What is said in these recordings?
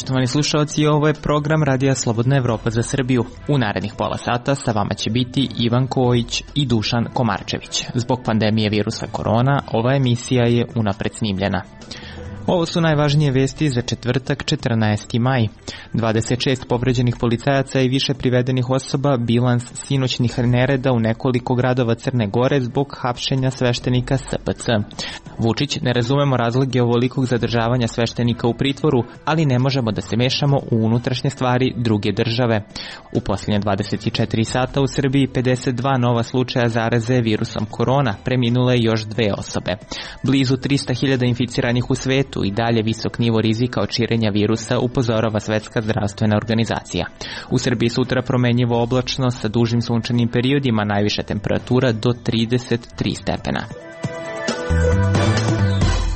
poštovani slušalci, ovo je program Radija Slobodna Evropa za Srbiju. U narednih pola sata sa vama će biti Ivan Kojić i Dušan Komarčević. Zbog pandemije virusa korona, ova emisija je unapred snimljena. Ovo su najvažnije vesti za četvrtak, 14. maj. 26 povređenih policajaca i više privedenih osoba, bilans sinoćnih nereda u nekoliko gradova Crne Gore zbog hapšenja sveštenika SPC. Vučić: ne razumemo razloge ovolikog zadržavanja sveštenika u pritvoru, ali ne možemo da se mešamo u unutrašnje stvari druge države. U posljednje 24 sata u Srbiji 52 nova slučaja zaraze virusom korona, preminule još 2 osobe. Blizu 300.000 inficiranih u svetu i dalje visok nivo rizika od širenja virusa, upozorava Svetska zdravstvena organizacija. U Srbiji sutra promenjivo oblačno sa dužim sunčanim periodima, najviša temperatura do 33 stepena.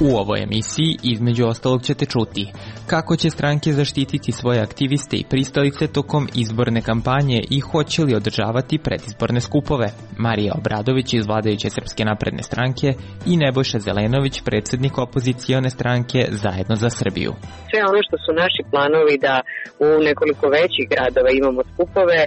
U ovoj emisiji između ostalog ćete čuti kako će stranke zaštititi svoje aktiviste i pristalice tokom izborne kampanje i hoće li održavati predizborne skupove. Marija Obradović iz vladajuće Srpske napredne stranke i Nebojša Zelenović, predsjednik opozicione stranke Zajedno za Srbiju. Sve ono što su naši planovi da u nekoliko većih gradova imamo skupove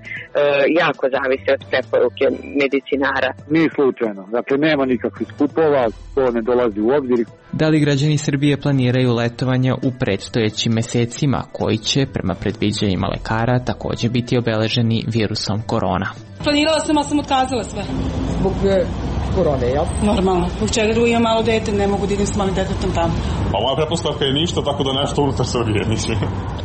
jako zavise od preporuke medicinara. Nije slučajno, dakle nema nikakvih skupova, to ne dolazi u obzir. Da li građani Srbije planiraju letovanja u predstojećim mesecima koji će, prema predviđanjima lekara, također biti obeleženi virusom korona? Planirala sam, ali sam otkazala sve. Zbog korone, jel? Normalno. Zbog čega da imam malo dete, ne mogu da idem s malim detetom tamo. Pa moja pretpostavka je ništa, tako da nešto unutar Srbije mislim.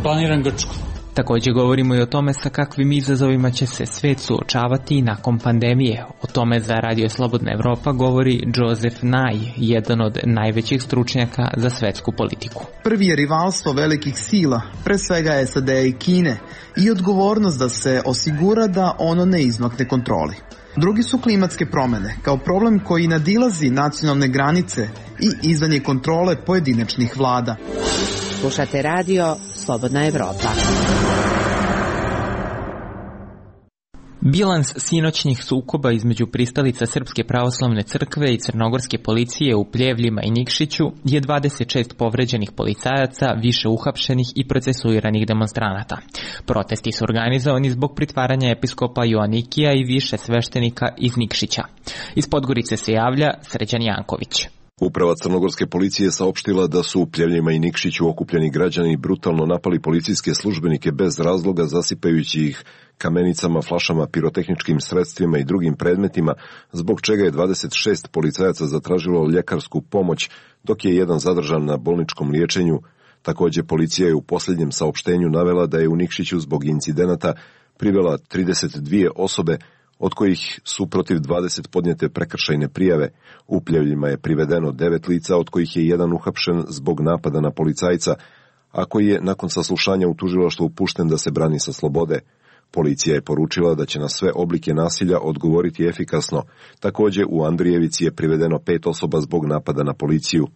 Planiram Grčku. Također govorimo i o tome sa kakvim izazovima će se svet suočavati nakon pandemije. O tome za Radio Slobodna Evropa govori Joseph Nye, jedan od najvećih stručnjaka za svetsku politiku. Prvi je rivalstvo velikih sila, pre svega SAD i Kine, i odgovornost da se osigura da ono ne izmakne kontroli. Drugi su klimatske promjene, kao problem koji nadilazi nacionalne granice i izvan je kontrole pojedinačnih vlada. Slušate Radio Slobodna Evropa. Bilans sinoćnih sukoba između pristalica Srpske pravoslavne crkve i crnogorske policije u Pljevljima i Nikšiću je 26 povređenih policajaca, više uhapšenih i procesuiranih demonstranata. Protesti su organizovani zbog pritvaranja episkopa Joanikija i više sveštenika iz Nikšića. Iz Podgorice se javlja Sređan Janković. Uprava crnogorske policije saopštila da su u Pljevljima i Nikšiću okupljeni građani brutalno napali policijske službenike bez razloga, zasipajući ih kamenicama, flašama, pirotehničkim sredstvima i drugim predmetima, zbog čega je 26 policajaca zatražilo ljekarsku pomoć, dok je jedan zadržan na bolničkom liječenju. Također policija je u posljednjem saopštenju navela da je u Nikšiću zbog incidenata privela 32 osobe, od kojih su protiv 20 podnijete prekršajne prijave. U Pljevljima je privedeno 9 lica, od kojih je jedan uhapšen zbog napada na policajca, a koji je nakon saslušanja u tužilaštvu pušten da se brani sa slobode. Policija je poručila da će na sve oblike nasilja odgovoriti efikasno. Također u Andrijevici je privedeno 5 osoba zbog napada na policiju.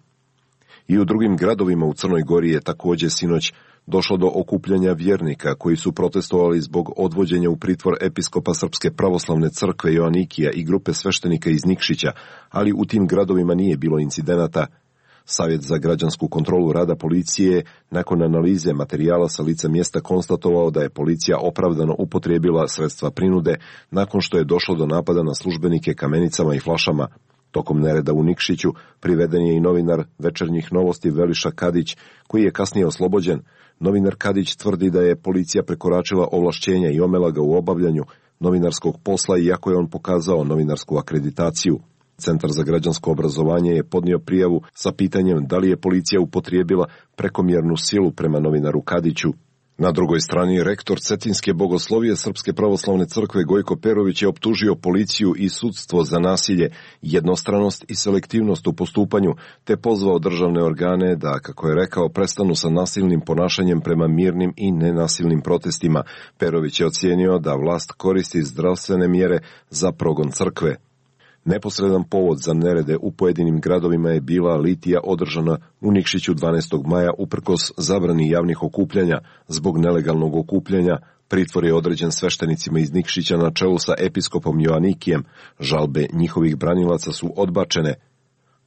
I u drugim gradovima u Crnoj Gori je također sinoć došlo do okupljanja vjernika koji su protestovali zbog odvođenja u pritvor episkopa Srpske pravoslavne crkve Joanikija i grupe sveštenika iz Nikšića, ali u tim gradovima nije bilo incidenata. Savjet za građansku kontrolu rada policije nakon analize materijala sa lica mjesta konstatovao da je policija opravdano upotrijebila sredstva prinude nakon što je došlo do napada na službenike kamenicama i flašama. Tokom nereda u Nikšiću priveden je i novinar Večernjih novosti Veliša Kadić, koji je kasnije oslobođen. Novinar Kadić tvrdi da je policija prekoračila ovlašćenja i omela ga u obavljanju novinarskog posla, iako je on pokazao novinarsku akreditaciju. Centar za građansko obrazovanje je podnio prijavu sa pitanjem da li je policija upotrijebila prekomjernu silu prema novinaru Kadiću. Na drugoj strani, rektor Cetinske bogoslovije Srpske pravoslavne crkve Gojko Perović je optužio policiju i sudstvo za nasilje, jednostranost i selektivnost u postupanju, te pozvao državne organe da, kako je rekao, prestanu sa nasilnim ponašanjem prema mirnim i nenasilnim protestima. Perović je ocijenio da vlast koristi zdravstvene mjere za progon crkve. Neposredan povod za nerede u pojedinim gradovima je bila litija održana u Nikšiću 12. maja uprkos zabrani javnih okupljanja. Zbog nelegalnog okupljanja pritvor je određen sveštenicima iz Nikšića na čelu sa episkopom Joanikijem. Žalbe njihovih branilaca su odbačene.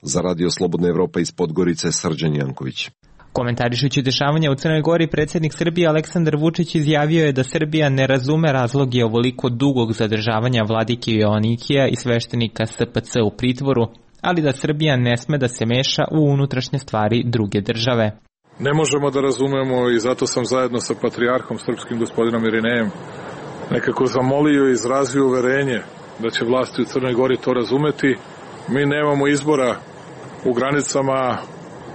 Za Radio Slobodna Evropa iz Podgorice, Srđan Janković. Komentarišući dešavanja u Crnoj Gori, predsjednik Srbije Aleksandar Vučić izjavio je da Srbija ne razume razloge ovoliko dugog zadržavanja vladike Joanikija i sveštenika SPC u pritvoru, ali da Srbija ne sme da se meša u unutrašnje stvari druge države. Ne možemo da razumemo i zato sam zajedno sa patrijarhom srpskim gospodinom Irinejem nekako zamolio i izrazio uverenje da će vlasti u Crnoj Gori to razumeti. Mi nemamo izbora u granicama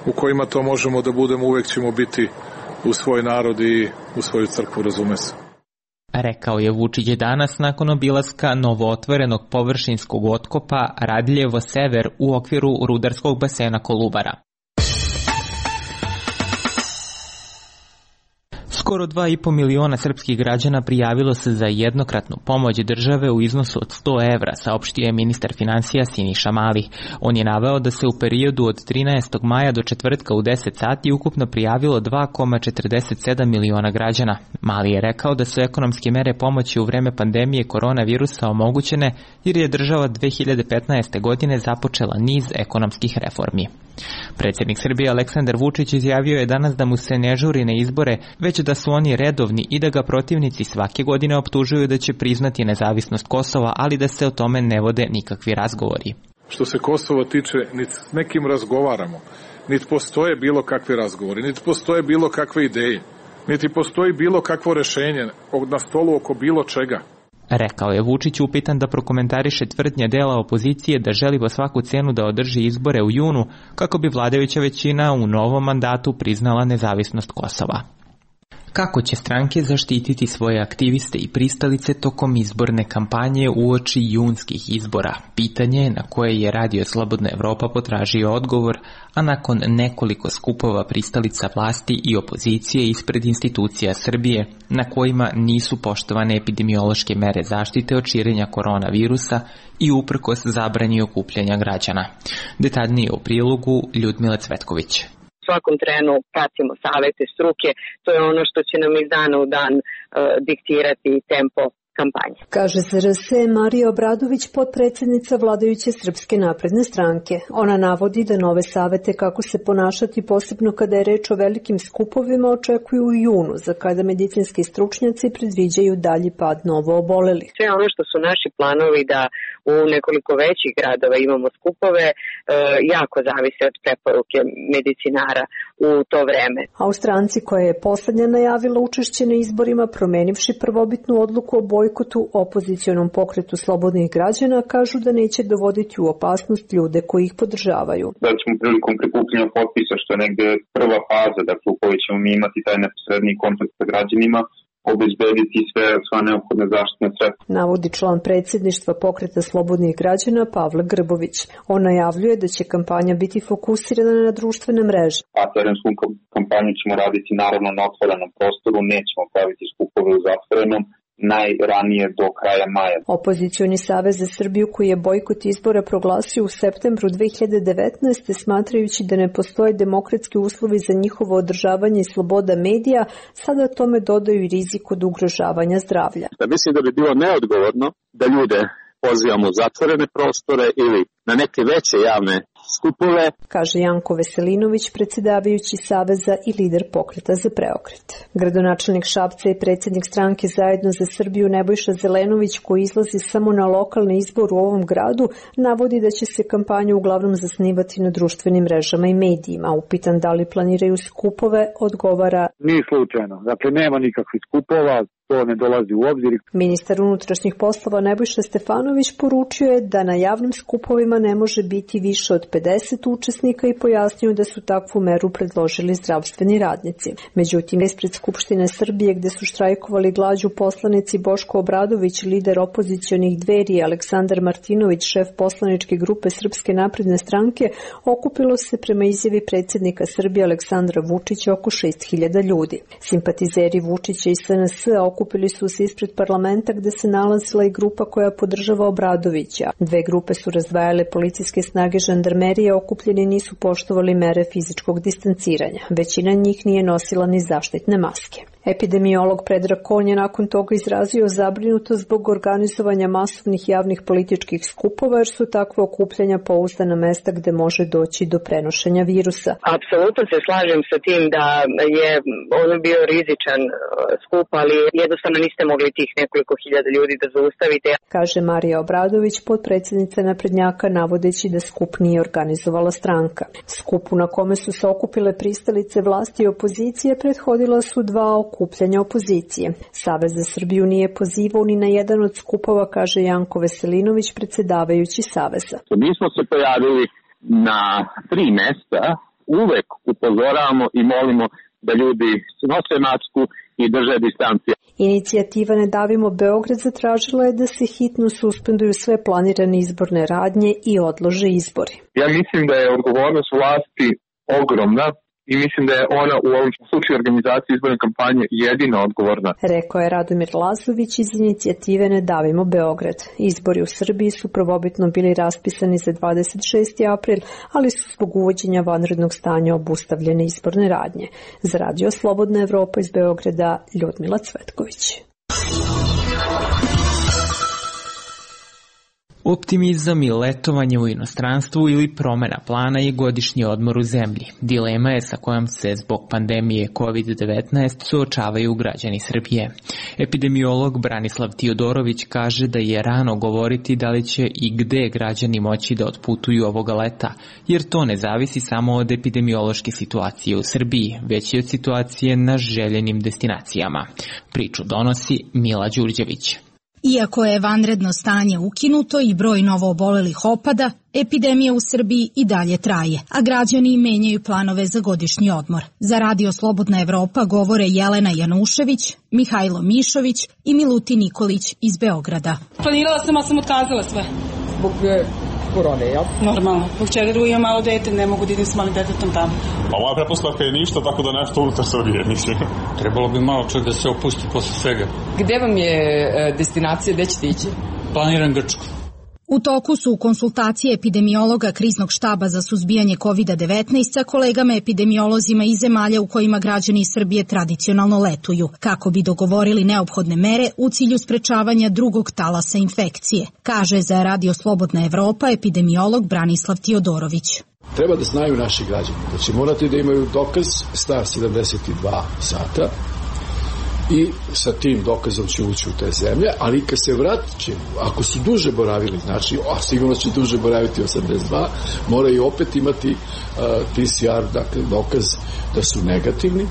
u kojima to možemo da budemo, uvek ćemo biti u svoj narod i u svoju crkvu, razume se. Rekao je Vučić danas nakon obilaska novootvorenog površinskog otkopa Radljevo Sever u okviru rudarskog basena Kolubara. Skoro 2,5 miliona srpskih građana prijavilo se za jednokratnu pomoć države u iznosu od 100 evra, saopštio je ministar finansija Siniša Mali. On je naveo da se u periodu od 13. maja do četvrtka u 10 sati ukupno prijavilo 2,47 miliona građana. Mali je rekao da su ekonomske mere pomoći u vreme pandemije koronavirusa omogućene jer je država 2015. godine započela niz ekonomskih reformi. Predsjednik Srbije Aleksandar Vučić izjavio je danas da mu se ne žuri na izbore, već da su oni redovni i da ga protivnici svake godine optužuju da će priznati nezavisnost Kosova, ali da se o tome ne vode nikakvi razgovori. Što se Kosova tiče, niti s nekim razgovaramo, niti postoje bilo kakvi razgovori, niti postoje bilo kakve ideje, niti postoji bilo kakvo rešenje na stolu oko bilo čega. Rekao je Vučić upitan da prokomentariše tvrdnje dela opozicije da želi po svaku cenu da održi izbore u junu kako bi vladajuća većina u novom mandatu priznala nezavisnost Kosova. Kako će stranke zaštititi svoje aktiviste i pristalice tokom izborne kampanje uoči junskih izbora? Pitanje je na koje je Radio Slobodna Evropa potražio odgovor, a nakon nekoliko skupova pristalica vlasti i opozicije ispred institucija Srbije, na kojima nisu poštovane epidemiološke mere zaštite od širenja koronavirusa i uprkos zabrani okupljanja građana. Detaljnije u prilogu Ljudmila Cvetković. U svakom trenu pratimo savete struke, to je ono što će nam iz dana u dan diktirati tempo kampanje. Kaže ZRS Marija Obradović, potpredsjednica vladajuće Srpske napredne stranke. Ona navodi da nove savete kako se ponašati, posebno kada je reč o velikim skupovima, očekuju u junu, za kada medicinski stručnjaci predviđaju dalji pad novo obolelih. Sve ono što su naši planovi da u nekoliko većih gradova imamo skupove, jako zavise od preporuke medicinara u to vreme. A u stranci koja je poslednja najavila učešće na izborima, promenivši prvobitnu odluku o bojkotu opozicionom pokretu slobodnih građana, kažu da neće dovoditi u opasnost ljude koji ih podržavaju. Da ćemo prilikom prikupljanja potpisa, što je negde prva faza, dakle u kojoj ćemo mi imati taj neposredni kontakt sa građanima, obezbediti sva neophodne zaštitne sredstva. Navodi član predsjedništva pokreta slobodnih građana Pavle Grbović. On najavljuje da će kampanja biti fokusirana na društvene mreže. A terensku kampanju ćemo raditi naravno na otvorenom prostoru, nećemo praviti skupove u zatvorenom, najranije do kraja maja. Opozicioni savez za Srbiju, koji je bojkot izbora proglasio u septembru 2019. smatrajući da ne postoje demokratski uslovi za njihovo održavanje i sloboda medija, sada tome dodaju i rizik od ugrožavanja zdravlja. Mislim da bi bilo neodgovorno da ljude pozivamo u zatvorene prostore ili na neke veće javne skupove, kaže Janko Veselinović, predsjedavajući Saveza i lider pokreta za preokret. Gradonačelnik Šapca i predsjednik stranke Zajedno za Srbiju Nebojša Zelenović, koji izlazi samo na lokalni izbor u ovom gradu, navodi da će se kampanja uglavnom zasnivati na društvenim mrežama i medijima. Upitan da li planiraju skupove, odgovara: Nije slučajno, dakle nema nikakvih skupova, to ne dolazi u obzir. Ministar unutrašnjih poslova Nebojša Stefanović poručio je da na javnim skupovima ne može biti više od 50 učesnika i pojasnio da su takvu meru predložili zdravstveni radnici. Međutim, ispred Skupštine Srbije, gde su štrajkovali glađu poslanici Boško Obradović, lider opozicionih Dveri, Aleksandar Martinović, šef poslaničke grupe Srpske napredne stranke, okupilo se prema izjavi predsjednika Srbije Aleksandra Vučića oko 6.000 ljudi. Simpatizeri Vučića i SNS okupili su se ispred parlamenta, gde se nalazila i grupa koja podržava Obradovića. Dve grupe su razdvajale policijske snage žandarmerije, okupljeni nisu poštovali mere fizičkog distanciranja. Većina njih nije nosila ni zaštitne maske. Epidemiolog Predrag Kon je nakon toga izrazio zabrinutost zbog organizovanja masovnih javnih političkih skupova, jer su takve okupljanja pouzdana mesta gde može doći do prenošenja virusa. Apsolutno se slažem sa tim da je ono bio rizičan skup, ali jednostavno niste mogli tih nekoliko hiljada ljudi da zaustavite. Kaže Marija Obradović, potpredsjednica naprednjaka, navodeći da skup nije organizovala stranka. Skupu na kome su se okupile pristalice vlasti i opozicije prethodila su dva okupljanja opozicije. Savez za Srbiju nije pozivao ni na jedan od skupova, kaže Janko Veselinović, predsjedavajući Saveza. Mi smo se pojavili na 3 mesta, uvek upozoravamo i molimo da ljudi nose masku i drže distancije. Inicijativa Ne davimo Beograd zatražila je da se hitno suspenduju sve planirane izborne radnje i odlože izbori. Ja mislim da je odgovornost vlasti ogromna i mislim da je ona u ovom slučaju organizacije izborne kampanje jedina odgovorna. Rekao je Radomir Lazović iz inicijative Ne davimo Beograd. Izbori u Srbiji su prvobitno bili raspisani za 26. april, ali su zbog uvođenja vanrednog stanja obustavljene izborne radnje. Za Radio Slobodna Evropa iz Beograda, Ljudmila Cvetković. Optimizam i letovanje u inostranstvu ili promena plana je godišnji odmor u zemlji. Dilema je sa kojom se zbog pandemije COVID-19 suočavaju građani Srbije. Epidemiolog Branislav Tiodorović kaže da je rano govoriti da li će i gde građani moći da otputuju ovoga leta, jer to ne zavisi samo od epidemiološke situacije u Srbiji, već i od situacije na željenim destinacijama. Priču donosi Mila Đurđević. Iako je vanredno stanje ukinuto i broj novoobolelih opada, epidemija u Srbiji i dalje traje, a građani menjaju planove za godišnji odmor. Za Radio Slobodna Evropa govore Jelena Janušević, Mihajlo Mišović i Milutin Nikolić iz Beograda. Planirala sam, ali sam otkazala sve. Zbog korone, jel? Normalno. Zbog čega drugo imam malo dete, ne mogu da idem s malim detetom tamo. Pa moja pretpostavka je ništa, tako da nešto unutar Srbije, mislim. Trebalo bi malo čovjek da se opusti posle svega. Gde vam je destinacija, gde ćete ići? Planiram Grčku. U toku su konsultacije epidemiologa Kriznog štaba za suzbijanje COVID-19 sa kolegama epidemiolozima iz zemalja u kojima građani Srbije tradicionalno letuju, kako bi dogovorili neophodne mere u cilju sprečavanja drugog talasa infekcije, kaže za Radio Slobodna Evropa epidemiolog Branislav Tiodorović. Treba da znaju naši građani da će morati da imaju dokaz star 72 sata i sa tim dokazom će ući u te zemlje, ali kad se vratit će, ako su duže boravili, znači, a sigurno će duže boraviti 82, moraju opet imati PCR, dakle dokaz da su negativni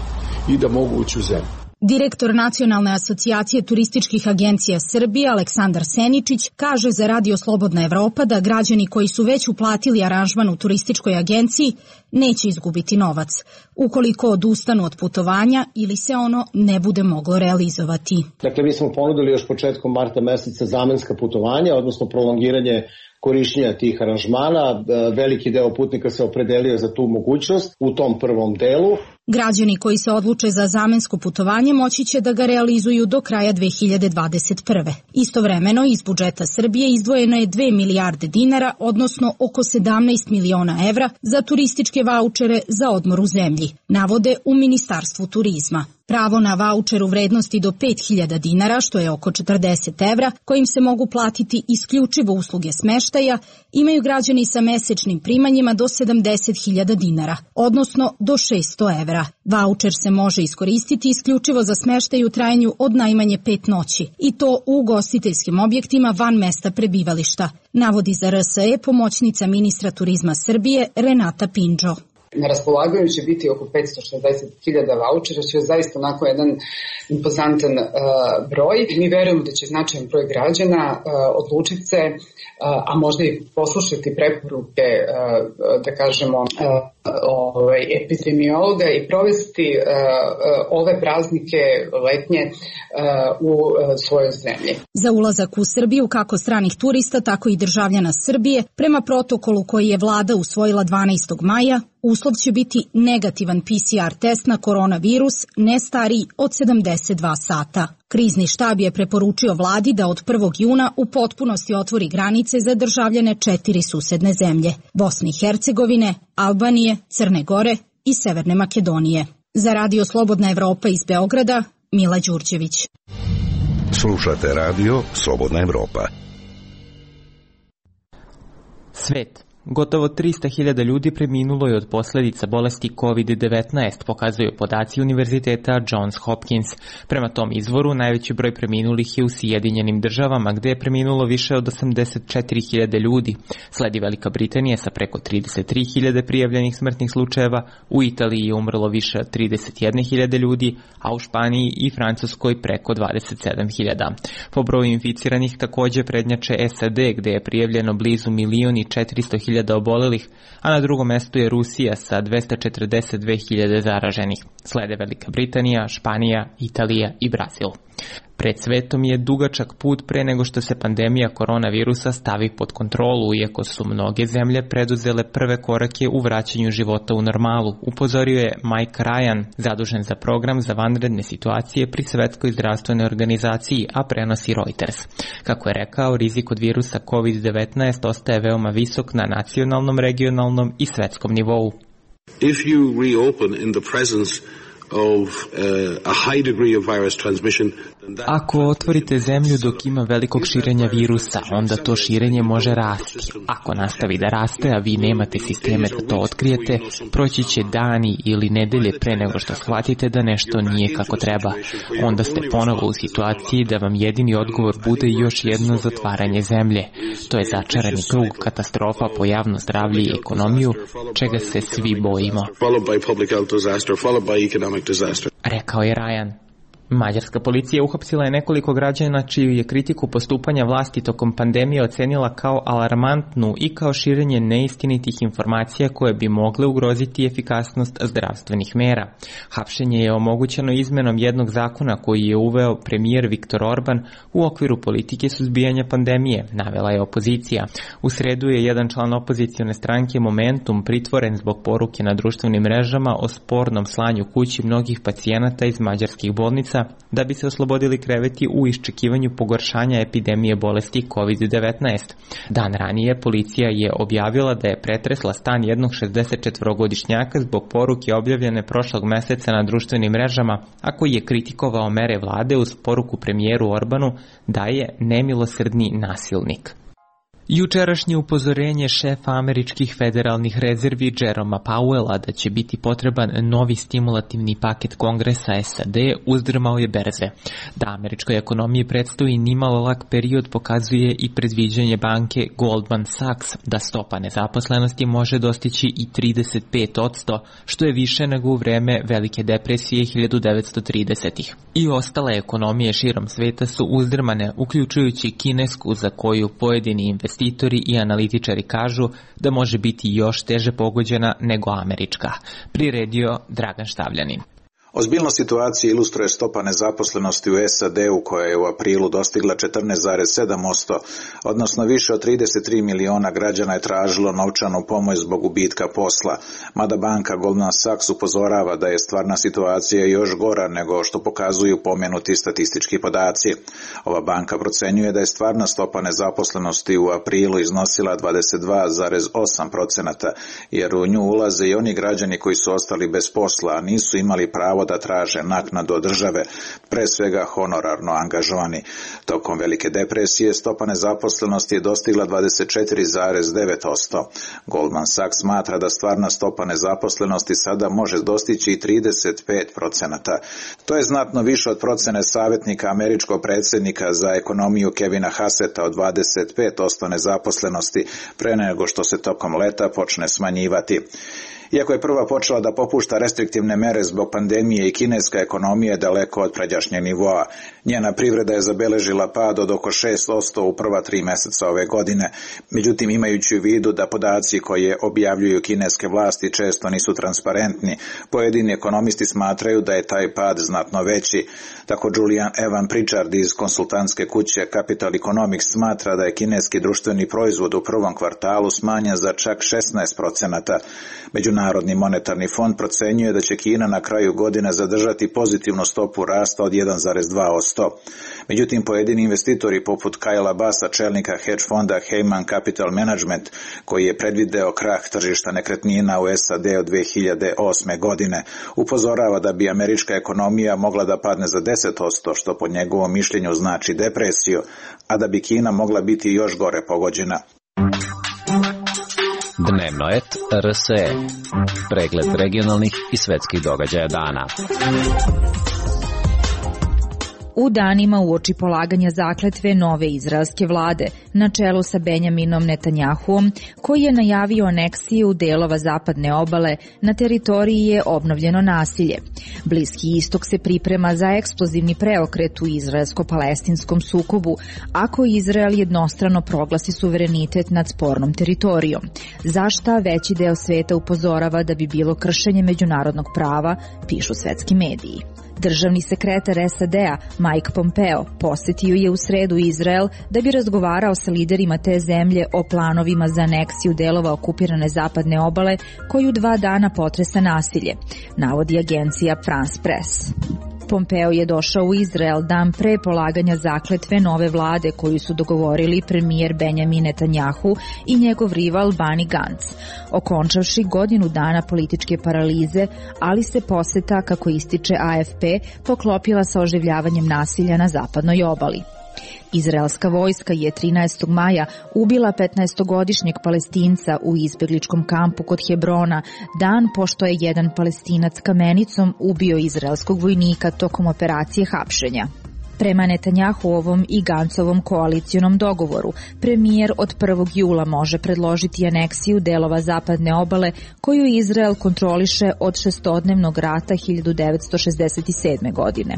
i da mogu ući u zemlju. Direktor Nacionalne asocijacije turističkih agencija Srbije Aleksandar Seničić kaže za Radio Slobodna Evropa da građani koji su već uplatili aranžman u turističkoj agenciji neće izgubiti novac, ukoliko odustanu od putovanja ili se ono ne bude moglo realizovati. Dakle, mi smo ponudili još početkom marta meseca zamenska putovanja, odnosno prolongiranje korišćenja tih aranžmana. Veliki deo putnika se opredelio za tu mogućnost u tom prvom delu. Građani koji se odluče za zamensko putovanje moći će da ga realizuju do kraja 2021. Istovremeno iz budžeta Srbije izdvojeno je 2 milijarde dinara, odnosno oko 17 miliona evra za turističke vaučere za odmor u zemlji, navode u Ministarstvu turizma. Pravo na vaučer u vrednosti do 5.000 dinara, što je oko 40 evra, kojim se mogu platiti isključivo usluge smeštaja, imaju građani sa mesečnim primanjima do 70.000 dinara, odnosno do 600 evra. Vaučer se može iskoristiti isključivo za smeštaj u trajanju od najmanje 5 noći, i to u ugostiteljskim objektima van mesta prebivališta, navodi za RSE pomoćnica ministra turizma Srbije Renata Pindžo. Na raspolaganju će biti oko 560.000 vaučera, što je zaista onako jedan impozantan broj. Mi verujemo da će značajan broj građana odlučiti se, a možda i poslušati preporuke, da kažemo, epidemiologa i provesti ove praznike letnje u svojoj zemlji. Za ulazak u Srbiju kako stranih turista, tako i državljana Srbije, prema protokolu koji je vlada usvojila 12. maja, uslov će biti negativan PCR test na koronavirus ne stariji od 72 sata. Krizni štab je preporučio vladi da od 1. juna u potpunosti otvori granice za državljane 4 susedne zemlje: Bosne i Hercegovine, Albanije, Crne Gore i Severne Makedonije. Za Radio Slobodna Evropa iz Beograda, Mila Đurđević. Slušate radio Slobodna Evropa. Svet. Gotovo 300.000 ljudi preminulo je od posljedica bolesti COVID-19, pokazuju podaci Univerziteta Johns Hopkins. Prema tom izvoru, najveći broj preminulih je u Sjedinjenim Državama, gde je preminulo više od 84.000 ljudi. Sledi Velika Britanija sa preko 33.000 prijavljenih smrtnih slučajeva, u Italiji je umrlo više od 31.000 ljudi, a u Španiji i Francuskoj preko 27.000. Po broju inficiranih također prednjače SAD, gde je prijavljeno blizu 1.400.000 obolelih, a na drugom mestu je Rusija sa 242.000 zaraženih. Slede Velika Britanija, Španija, Italija i Brazil. Pred svetom je dugačak put pre nego što se pandemija koronavirusa stavi pod kontrolu, iako su mnoge zemlje preduzele prve korake u vraćanju života u normalu, upozorio je Mike Ryan, zadužen za program za vanredne situacije pri Svetskoj zdravstvenoj organizaciji, a prenosi Reuters. Kako je rekao, rizik od virusa COVID-19 ostaje veoma visok na nacionalnom, regionalnom i svetskom nivou. If you reopen in the presence of a high degree of virus transmission, ako otvorite zemlju dok ima velikog širenja virusa, onda to širenje može rasti. Ako nastavi da raste, a vi nemate sisteme da to otkrijete, proći će dani ili nedelje pre nego što shvatite da nešto nije kako treba. Onda ste ponovo u situaciji da vam jedini odgovor bude još jedno zatvaranje zemlje. To je začarani krug, katastrofa po javno zdravlje i ekonomiju, čega se svi bojimo. Rekao je Ryan. Mađarska policija uhapsila je nekoliko građana čiju je kritiku postupanja vlasti tokom pandemije ocenila kao alarmantnu i kao širenje neistinitih informacija koje bi mogle ugroziti efikasnost zdravstvenih mera. Hapšenje je omogućeno izmenom jednog zakona koji je uveo premijer Viktor Orban u okviru politike suzbijanja pandemije, navela je opozicija. U sredu je jedan član opozicione stranke Momentum pritvoren zbog poruke na društvenim mrežama o spornom slanju kući mnogih pacijenata iz mađarskih bolnica da bi se oslobodili kreveti u iščekivanju pogoršanja epidemije bolesti COVID-19. Dan ranije policija je objavila da je pretresla stan jednog 64-godišnjaka zbog poruke objavljene prošlog meseca na društvenim mrežama, a koji je kritikovao mere vlade uz poruku premijeru Orbanu da je nemilosrdni nasilnik. Jučerašnje upozorenje šefa američkih federalnih rezervi Jeroma Powella da će biti potreban novi stimulativni paket Kongresa SAD uzdrmao je berze. Da američkoj ekonomiji predstoji nimalo lak period pokazuje i predviđanje banke Goldman Sachs da stopa nezaposlenosti može dostići i 35%, što je više nego u vreme Velike depresije 1930-ih. I ostale ekonomije širom sveta su uzdrmane, uključujući kinesku za koju pojedini investitori i analitičari kažu da može biti još teže pogođena nego američka. Priredio Dragan Štavljanin. Ozbiljnost situacije ilustruje stopa nezaposlenosti u SAD-u koja je u aprilu dostigla 14,7%, odnosno više od 33 miliona građana je tražilo novčanu pomoć zbog gubitka posla, mada banka Goldman Sachs upozorava da je stvarna situacija još gora nego što pokazuju pomenuti statistički podaci. Ova banka procenjuje da je stvarna stopa nezaposlenosti u aprilu iznosila 22,8%, jer u nju ulaze i oni građani koji su ostali bez posla, a nisu imali pravo da traže naknadu od države, pre svega honorarno angažovani. Tokom Velike depresije stopa nezaposlenosti je dostigla 24,9%. Goldman Sachs smatra da stvarna stopa nezaposlenosti sada može dostići i 35%. To je znatno više od procene savjetnika američkog predsjednika za ekonomiju Kevina Hasseta od 25% nezaposlenosti, pre nego što se tokom leta počne smanjivati. Iako je prva počela da popušta restriktivne mere zbog pandemije i kineska ekonomija je daleko od pređašnjeg nivoa. Njena privreda je zabeležila pad od oko 6% u prva 3 meseca ove godine. Međutim, imajući u vidu da podaci koje objavljuju kineske vlasti često nisu transparentni, pojedini ekonomisti smatraju da je taj pad znatno veći. Tako Julian Evan Pritchard iz konsultantske kuće Capital Economics smatra da je kineski društveni proizvod u prvom kvartalu smanjen za čak 16%. Međunarodni Međunarodni monetarni fond procenjuje da će Kina na kraju godine zadržati pozitivnu stopu rasta od 1,2%. Međutim, pojedini investitori poput Kayla Bassa, čelnika hedge fonda Heyman Capital Management, koji je predvideo krah tržišta nekretnina u SAD od 2008. godine, upozorava da bi američka ekonomija mogla da padne za 10%, što po njegovom mišljenju znači depresiju, a da bi Kina mogla biti još gore pogođena. Dnevnoet RSE. Pregled regionalnih i svetskih događaja dana. U danima uoči polaganja zakletve nove izraelske vlade, na čelu sa Benjaminom Netanjahuom, koji je najavio aneksiju delova zapadne obale, na teritoriji je obnovljeno nasilje. Bliski istok se priprema za eksplozivni preokret u izraelsko-palestinskom sukobu, ako Izrael jednostrano proglasi suverenitet nad spornom teritorijom. Za šta veći deo sveta upozorava da bi bilo kršenje međunarodnog prava, pišu svetski mediji. Državni sekretar SAD-a Mike Pompeo posetio je u sredu Izrael da bi razgovarao sa liderima te zemlje o planovima za aneksiju delova okupirane zapadne obale koju 2 dana potresa nasilje, navodi agencija France Press. Pompeo je došao u Izrael dan pre polaganja zakletve nove vlade koju su dogovorili premijer Benjamin Netanjahu i njegov rival Benny Gantz, okončavši godinu dana političke paralize, ali se poseta, kako ističe AFP, poklopila sa oživljavanjem nasilja na zapadnoj obali. Izraelska vojska je 13. maja ubila 15-godišnjeg Palestinca u izbegličkom kampu kod Hebrona, dan pošto je jedan Palestinac kamenicom ubio izraelskog vojnika tokom operacije hapšenja. Prema Netanjahuovom i Gancovom koalicionom dogovoru, premijer od 1. jula može predložiti aneksiju delova zapadne obale koju Izrael kontroliše od šestodnevnog rata 1967. godine.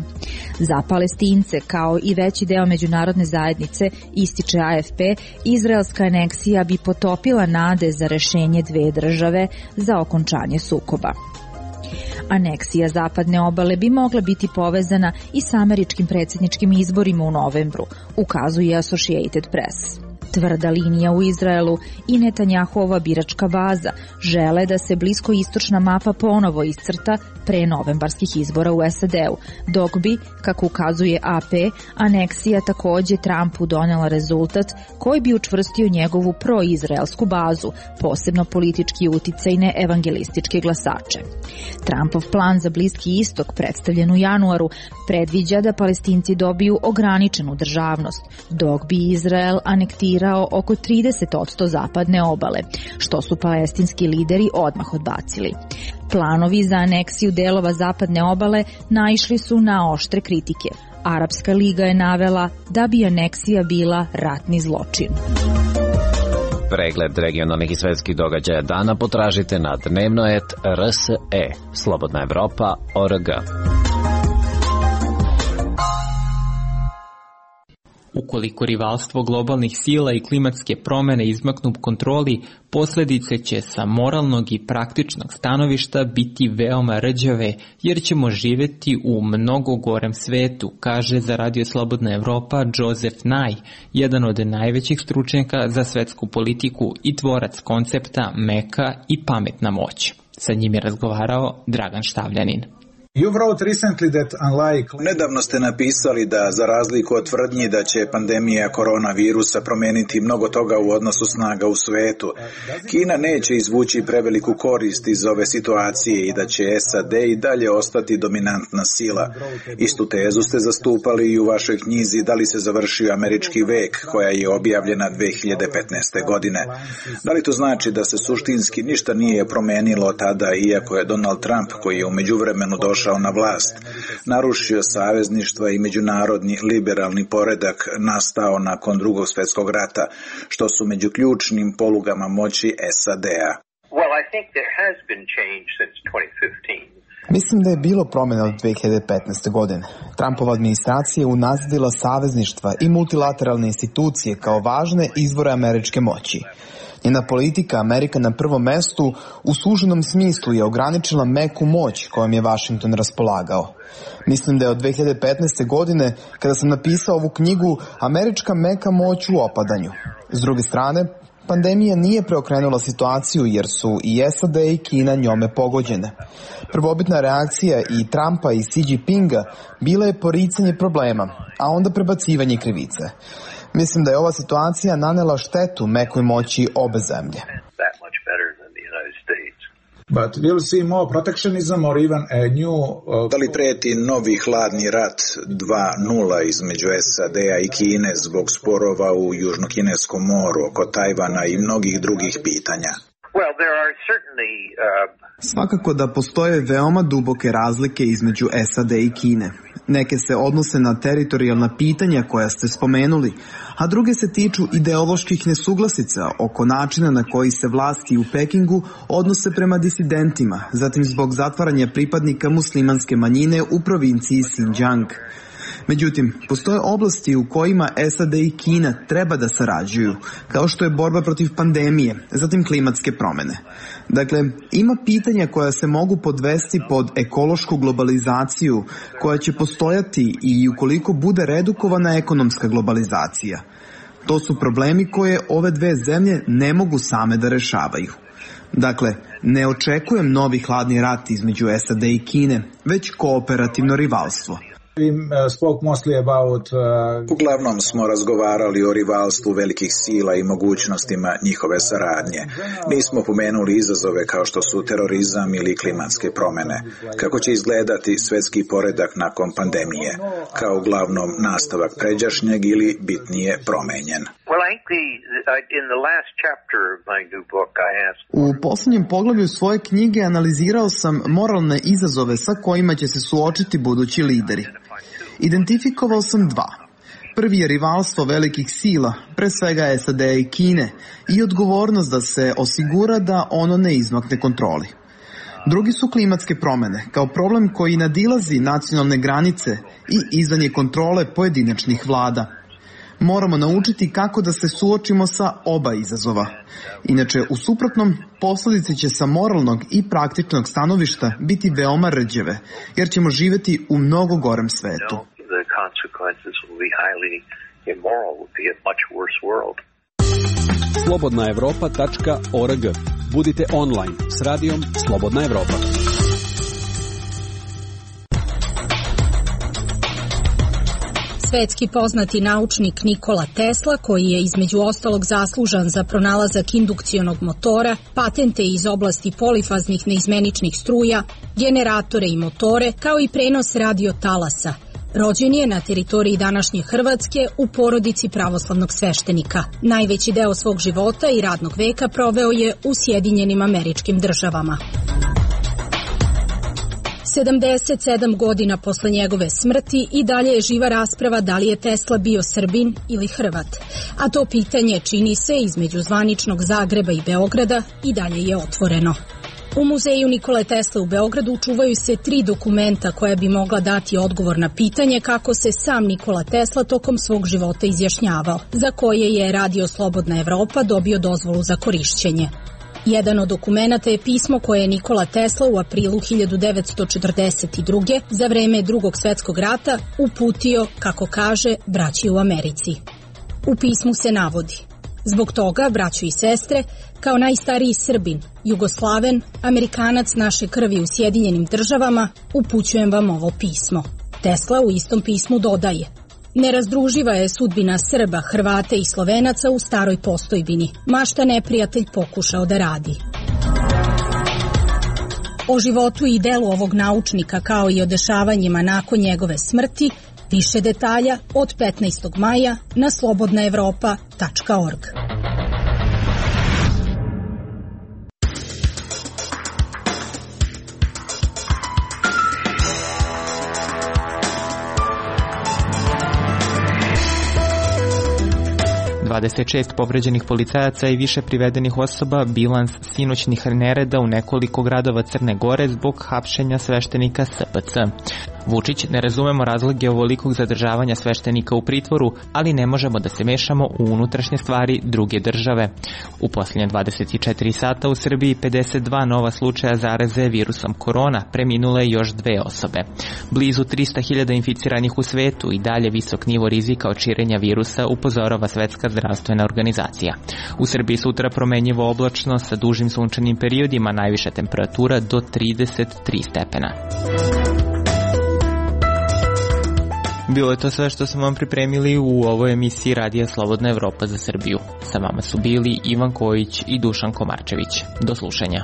Za Palestince, kao i veći deo međunarodne zajednice, ističe AFP, izraelska aneksija bi potopila nade za rešenje 2 države za okončanje sukoba. Aneksija zapadne obale bi mogla biti povezana i sa američkim predsjedničkim izborima u novembru, ukazuje Associated Press. Tvrda linija u Izraelu i Netanjahuova biračka baza žele da se bliskoistočna mapa ponovo iscrta pre novembarskih izbora u SAD-u, dok bi, kako ukazuje AP, aneksija takođe Trumpu donela rezultat koji bi učvrstio njegovu proizraelsku bazu, posebno politički uticajne evangelističke glasače. Trumpov plan za Bliski istok, predstavljen u januaru, predviđa da Palestinci dobiju ograničenu državnost, dok bi Izrael anektirao oko 30% zapadne obale, što su palestinski lideri odmah odbacili. Planovi za aneksiju delova zapadne obale naišli su na oštre kritike. Arapska liga je navela da bi aneksija bila ratni zločin. Pregled regionalnih i svetskih događaja dana potražite na Dnevnoet RSE, Slobodna Evropa.org. Ukoliko rivalstvo globalnih sila i klimatske promene izmaknu kontroli, posljedice će sa moralnog i praktičnog stanovišta biti veoma rđave, jer ćemo živjeti u mnogo gorem svetu, kaže za Radio Slobodna Evropa Joseph Nye, jedan od najvećih stručnjaka za svetsku politiku i tvorac koncepta meka i pametna moć. Sa njim je razgovarao Dragan Štavljanin. Nedavno ste napisali da, za razliku od tvrdnji da će pandemija koronavirusa promeniti mnogo toga u odnosu snaga u svetu, Kina neće izvući preveliku korist iz ove situacije i da će SAD i dalje ostati dominantna sila. Istu tezu ste zastupali i u vašoj knjizi Da li se završio američki vek, koja je objavljena 2015. godine. Da li to znači da se suštinski ništa nije promenilo tada, iako je Donald Trump, koji je u međuvremenu došao na vlast, narušio savezništva i međunarodni liberalni poredak nastao nakon Drugog svjetskog rata, što su među ključnim polugama moći SAD-a? Mislim da je bilo promjena od 2015. godine. Trumpova administracija je unazadila savezništva i multilateralne institucije kao važne izvore američke moći. Njena politika, Amerika na prvom mestu, u suženom smislu je ograničila meku moć kojom je Washington raspolagao. Mislim da je od 2015. godine, kada sam napisao ovu knjigu, američka meka moć u opadanju. S druge strane, pandemija nije preokrenula situaciju jer su i SAD i Kina njome pogođene. Prvobitna reakcija i Trumpa i Xi Jinpinga bila je poricanje problema, a onda prebacivanje krivice. Mislim da je ova situacija nanela štetu mekoj moći obe zemlje. But we'll see more protectionism or even a new... Da li preti novi hladni rat 2.0 između SAD-a i Kine zbog sporova u Južnokineskom moru, oko Tajvana i mnogih drugih pitanja? Svakako da postoje veoma duboke razlike između SAD i Kine. Neke se odnose na teritorijalna pitanja koja ste spomenuli, a druge se tiču ideoloških nesuglasica oko načina na koji se vlasti u Pekingu odnose prema disidentima, zatim zbog zatvaranja pripadnika muslimanske manjine u provinciji Xinjiang. Međutim, postoje oblasti u kojima SAD i Kina treba da sarađuju, kao što je borba protiv pandemije, zatim klimatske promene. Dakle, ima pitanja koja se mogu podvesti pod ekološku globalizaciju, koja će postojati i ukoliko bude redukovana ekonomska globalizacija. To su problemi koje ove dve zemlje ne mogu same da rešavaju. Dakle, ne očekujem novi hladni rat između SAD i Kine, već kooperativno rivalstvo. Uglavnom smo razgovarali o rivalstvu velikih sila i mogućnostima njihove saradnje. Nismo pomenuli izazove kao što su terorizam ili klimatske promene. Kako će izgledati svetski poredak nakon pandemije? Kao uglavnom nastavak pređašnjeg ili bitnije promenjen? U posljednjem poglavlju svoje knjige analizirao sam moralne izazove sa kojima će se suočiti budući lideri. Identifikovao sam dva. Prvi je rivalstvo velikih sila, pre svega SAD i Kine, i odgovornost da se osigura da ono ne izmakne kontroli. Drugi su klimatske promene, kao problem koji nadilazi nacionalne granice i izvan je kontrole pojedinačnih vlada. Moramo naučiti kako da se suočimo sa oba izazova. Inače, u suprotnom, posledice će sa moralnog i praktičnog stanovišta biti veoma rđeve, jer ćemo živjeti u mnogo gorem svetu. slobodnaevropa.org. Budite online s radijom Slobodna Evropa. Svetski poznati naučnik Nikola Tesla, koji je između ostalog zaslužan za pronalazak indukcionog motora, patente iz oblasti polifaznih neizmeničnih struja, generatore i motore, kao i prenos radiotalasa, rođen je na teritoriji današnje Hrvatske u porodici pravoslavnog sveštenika. Najveći deo svog života i radnog veka proveo je u Sjedinjenim Američkim Državama. 77 godina posle njegove smrti i dalje je živa rasprava da li je Tesla bio Srbin ili Hrvat, a to pitanje, čini se, između zvaničnog Zagreba i Beograda i dalje je otvoreno. U muzeju Nikole Tesle u Beogradu čuvaju se 3 dokumenta koja bi mogla dati odgovor na pitanje kako se sam Nikola Tesla tokom svog života izjašnjavao, za koje je Radio Slobodna Evropa dobio dozvolu za korišćenje. Jedan od dokumenata je pismo koje je Nikola Tesla u aprilu 1942. za vreme Drugog svetskog rata uputio, kako kaže, braći u Americi. U pismu se navodi: zbog toga, braćo i sestre, kao najstariji Srbin, Jugoslaven, Amerikanac naše krvi u Sjedinjenim Državama, upućujem vam ovo pismo. Tesla u istom pismu dodaje: nerazdruživa je sudbina Srba, Hrvata i Slovenaca u staroj postojbini, ma šta neprijatelj pokušao da radi. O životu i delu ovog naučnika, kao i o dešavanjima nakon njegove smrti, više detalja od 15. maja na slobodnaevropa.org. ...26 povređenih policajaca i više privedenih osoba, bilans sinoćnih nereda u nekoliko gradova Crne Gore zbog hapšenja sveštenika SPC. Vučić: ne razumemo razloge ovolikog zadržavanja sveštenika u pritvoru, ali ne možemo da se mešamo u unutrašnje stvari druge države. U posljednje 24 sata u Srbiji 52 nova slučaja zaraze virusom korona, preminule još 2 osobe. Blizu 300.000 inficiranih u svetu i dalje visok nivo rizika od širenja virusa, upozorava Svetska zdravstvena organizacija. U Srbiji sutra promenjivo oblačno sa dužim sunčanim periodima, najviša temperatura do 33 stepena. Bilo je to sve što smo vam pripremili u ovoj emisiji Radija Slobodna Evropa za Srbiju. Sa vama su bili Ivan Kojić i Dušan Komarčević. Do slušanja.